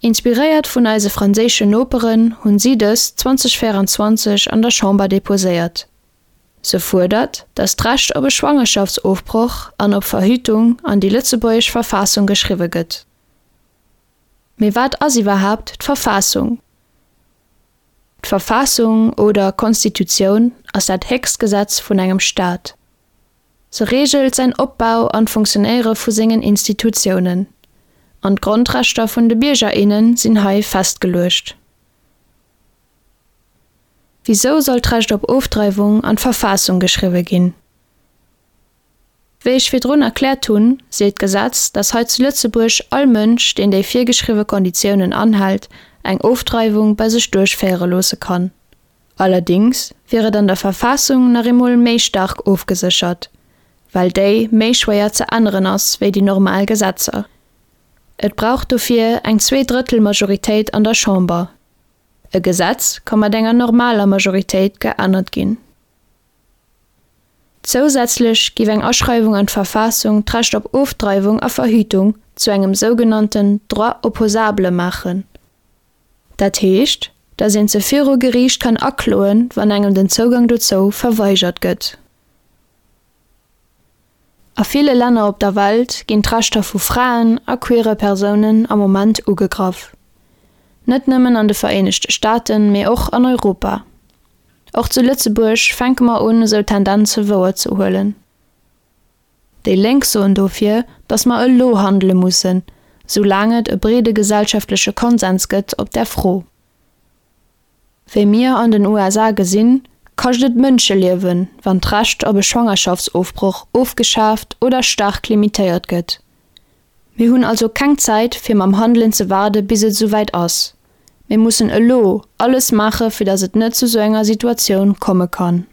Inspiréiert vun eise franséischen Noperen hunn si dës zweedausendvéieranzwanzeg an der Chamber deposéiert. Se fuerdert, datt d'Recht op e Schwangerschaftsofbroch an op Verhütung an déi lëtzebuergesch Verfassung geschriwwe gëtt. Mee wat ass iwwerhaapt d'Verfassung? D'Verfassung oder Constitutioun ass dat héchst Gesetz vun engem Staat. Se reegelt säin Opbau an d'Funktionéiere vu sengen Institutiounen. An d'Grondrechter vun de Bierger, innen sinn hei festgeluecht. Wisou soll d'Recht op Ofdreiwung an d'Verfassung geschriwwe ginn? Wéi ech virdrun erkläert hunn, seet d'Gesetz, dass hei zu Lëtzebuerg all Mënsch, deen déi virgeschriwwe Konditiounen anhält, eng Ofdreiwung bei sech duerchféiere loosse kann. Allerdéngs wier et an der Verfassung nach eemol méi staark ofgeséchert, well déi méi schwéier ze änneren ass wéi déi normal Gesetzer. Et brauch dofir eng Zwee-Drëttel-Majoritéit an der Chamber. E Gesetz ka mat enger normaler Majoritéit geännert ginn. Zousätzlech géif eng Aschreiwung an d'Verfassung d'Recht op Ofdreiwung a Verhütung zu engem sougenannten Droit opposable maachen. Dat heescht, dass een se viru Geriicht kann akloen, wann engem den Zougang dozou verweigert gëtt. A ville Länner op der Welt ginn d'Rechter vu Fraen a queere Persounen am Moment ugegraff. Net nëmmen an de Vereenegte Staaten, mee och an Europa. Och zu Lëtzebuerg fänke mer un esou Tendenze wouer ze huelen. Déi Lénk soen dofir, datt mer elo handele mussen, soulaang et e breede gesellschaftleche Konsens gëtt op där Fro. Wéi mir an den U S A gesinn, kascht et Mënscheliewen, wann d'Recht op e Schwangerschaftsofbroch ofgeschaaft oder staark limitéiert gëtt. Mir hunn also keng Zäit, fir mam Handelen ze waarde bis et esouwäit ass. Mir mussen elo alles maache fir datt et net zu sou enger Situatioun komme kann.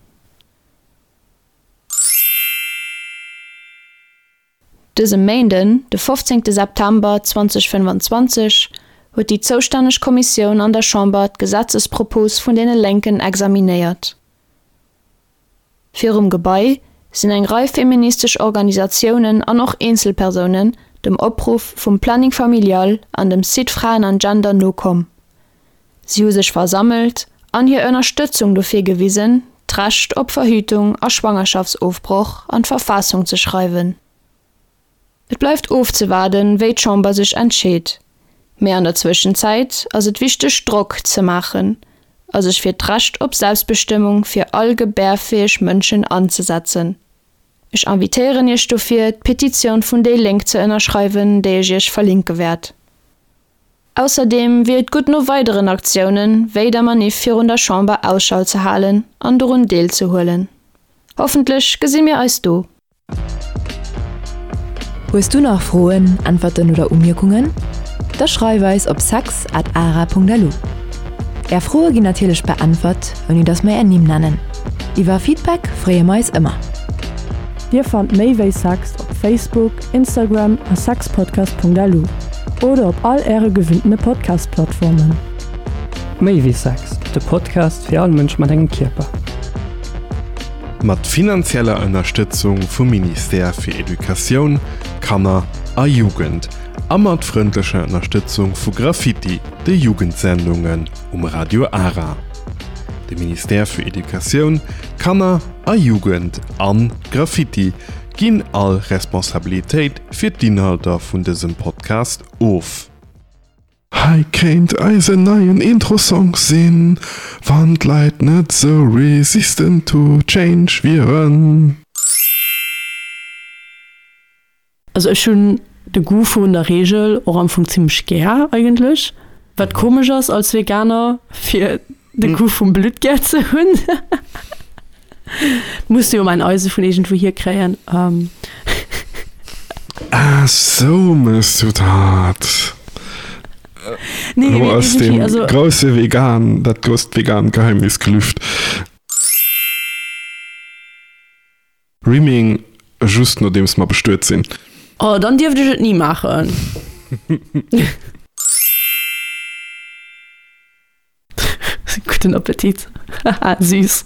Dëse Méinden, de fofzéngte September zweedausendfënnefanzwanzeg huet déi zoustänneg Kommissioun an der Chamber d'Gesetzespropos vun deene Lénken examinéiert. Virum Gebai sinn eng Rei feministesch Organisatiounen an och Eenzelpersounen dem Opruff vum Planning Familial an dem Site Fraen an Gender nokomm. Si hu sech versammelt an hir Ënnerstëtzung dofir gewisen, d'Recht op Verhütung a Schwangerschaftsofbroch an d'Verfassung ze schreiwen. Et bleift ofzewaarden, wéi d'Chamber sech entscheet. Mee an der Zwëschenzäit ass et wichteg Drock ze maachen a sech fir d'Recht op Selbstbestëmmung fir all gebärfäeg Mënschen anzesetzen. Ech invitéieren iech dofir, d'Petitioun vun déi Lénk ze ënnerschreiwen, déi ech iech verlinke wäert. Ausserdeem wier et gutt no weideren Aktiounen, wéi der Maniff virun der Chamber Ausschau ze halen an dorun deelzehuelen. Hoffentlech gesi mir eis do! Hues du nach Froen, Äntwerten oder Umierkungen? Da schreif eis op sex at ara Punkt lu. Är Froe ginn natierlech beäntwert, ouni dass mer är Nimm nennen. Iwwer Feedback freeë mer eis ëmmer. Dir fannt méi wéi Sex op Facebook, Instagram a sexpodcast.lu oder op all äre gewinntene Podcast-Plattformen. Méi wéi Sex, de Podcast fir all Mënsch mat engem Kierper. Mat finanzieller Ënnerstëtzung vum Ministère fir Educatioun, Kanner a Jugend a mat frëndlecher Ënnerstëtzung vu Graffiti, de Jugendsendungen um Radio Ara. De Ministère fir Educatioun, Kanner a Jugend an Graffiti ginn all Responsabilitéit fir d'Inhalter vun dësem Podcast of. Hei kéint eisen neien Intro-Song sinn, wann d'Leit net sou resistant to change wieren. Also ech hunn de Goût vun der Reegel och am Fong zimmlech gär eigentlech, wat komesch ass als Veganer fir de Goût vum Blutt gär ze hunn. Muss jo mäin Eise vun iergendwou hier kréien. Ah sou mëss du dat. Nee, Lo mee ass irgendwie, dee also grousse vegan, dat grousst vegan Geheimnis gelüft. Rimming just nodeems mer bestuet sinn. Oh, dann dierft ech et ni maachen. Gudden Appetit. Haha, süß.